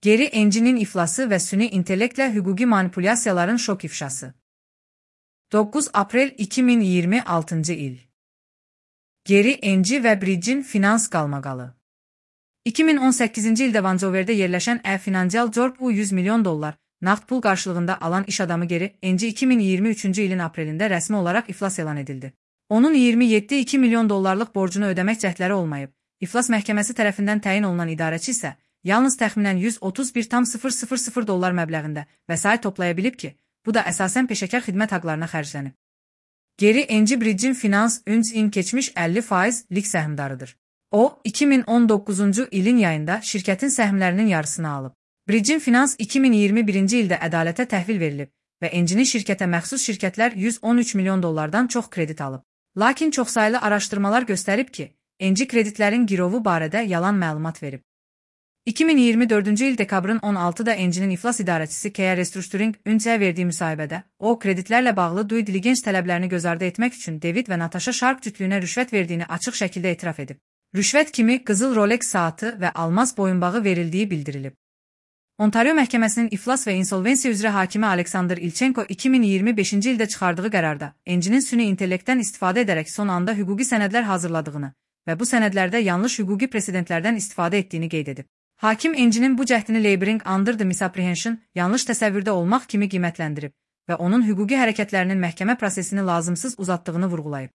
Geri Enci'nin iflası və süni intellektlə hüquqi manipulyasiyaların şok ifşası. 9 Aprel 2026 il. Geri Enci və Bridge'in finans qalmaqalı. 2018-ci ildə Vancouverdə yerləşən Financial Corp 100 milyon dollar nağd pul qarşılığında alan iş adamı Geri Enci 2023-cü ilin aprelində rəsmi olaraq iflas elan edildi. Onun 27,2 milyon dollarlıq borcunu ödəmək cəhdləri olmayıb. İflas məhkəməsi tərəfindən təyin olunan idarəçi isə yalnız təxminən 131,000 dollar məbləğində vəsait toplaya bilib ki, bu da əsasən peşəkar xidmət haqlarına xərclənib. Geri Enci Bridge'in finans ün keçmiş 50%lik səhmdarıdır. O, 2019-cu ilin yayında şirkətin səhmlərinin yarısını alıb. Bridge'in finans 2021-ci ildə ədalətə təhvil verilib və Encinin şirkətə məxsus şirkətlər 113 milyon dollardan çox kredit alıb. Lakin çoxsaylı araşdırmalar göstərib ki, Enci kreditlərin girovu barədə yalan məlumat verib. 2024-cü il dekabrın 16-da Encinin iflas idarəçisi Kea Restructuring Ün-ə verdiyi müsahibədə, o, kreditlərlə bağlı due diligence tələblərini göz ardı etmək üçün David və Natasha Sharp cütlüyünə rüşvət verdiyini açıq şəkildə etiraf edib. Rüşvət kimi qızıl Rolex saatı və almaz boyunbağı verildiyi bildirilib. Ontario məhkəməsinin iflas və insolvensiya üzrə hakimi Alexander Ilchenko 2025-ci ildə çıxardığı qərarda Encinin süni intellektdən istifadə edərək son anda hüquqi sənədlər hazırladığını və bu sənədlərdə yanlış hüquqi presedentlərdən istifadə etdiyini qeyd edib. Hakim Encinin bu cəhdini laboring under the misapprehension, yanlış təsəvvürdə olmaq kimi qiymətləndirib və onun hüquqi hərəkətlərinin məhkəmə prosesini lazımsız uzatdığını vurğulayıb.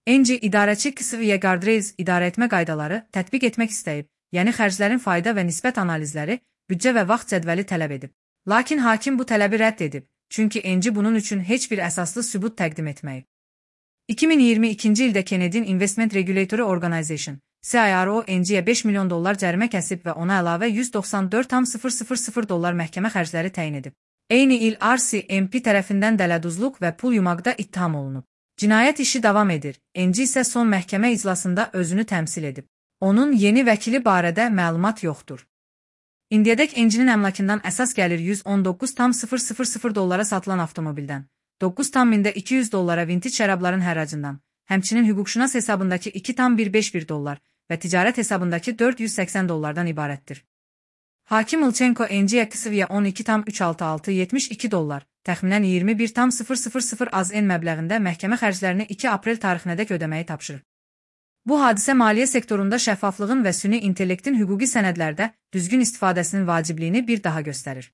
Enci idarəçi Xavier Gardraez idarəetmə qaydaları tətbiq etmək istəyib, yəni xərclərin fayda və nisbət analizləri, büdcə və vaxt cədvəli tələb edib. Lakin hakim bu tələbi rədd edib, çünki Enci bunun üçün heç bir əsaslı sübut təqdim etməyib. 2022-ci ildə Canadian Investment Regulatory Organization, CIRO Enciyə 5 milyon dollar cərimə kəsib və ona əlavə 194,000 dollar məhkəmə xərcləri təyin edib. Eyni il RCMP tərəfindən dələduzluq və pul yumaqda ittiham olunub. Cinayət işi davam edir, Enci isə son məhkəmə iclasında özünü təmsil edib. Onun yeni vəkili barədə məlumat yoxdur. İndiyədək Encinin əmlakından əsas gəlir 119,000 dollara satılan avtomobildən, 9,200 dollara vintage şərabların həracından, həmçinin hüquqşünas hesabındakı 2,151 dollar və ticarət hesabındakı 480 dollardan ibarətdir. Hakim Ilchenko Enciyə Xavier 12,36672 dollar, təxminən 21,000 az-en məbləğində məhkəmə xərclərini 2 aprel tarixinədək ödəməyi tapşırır. Bu hadisə maliyyə sektorunda şəffaflığın və süni intellektin hüquqi sənədlərdə düzgün istifadəsinin vacibliyini bir daha göstərir.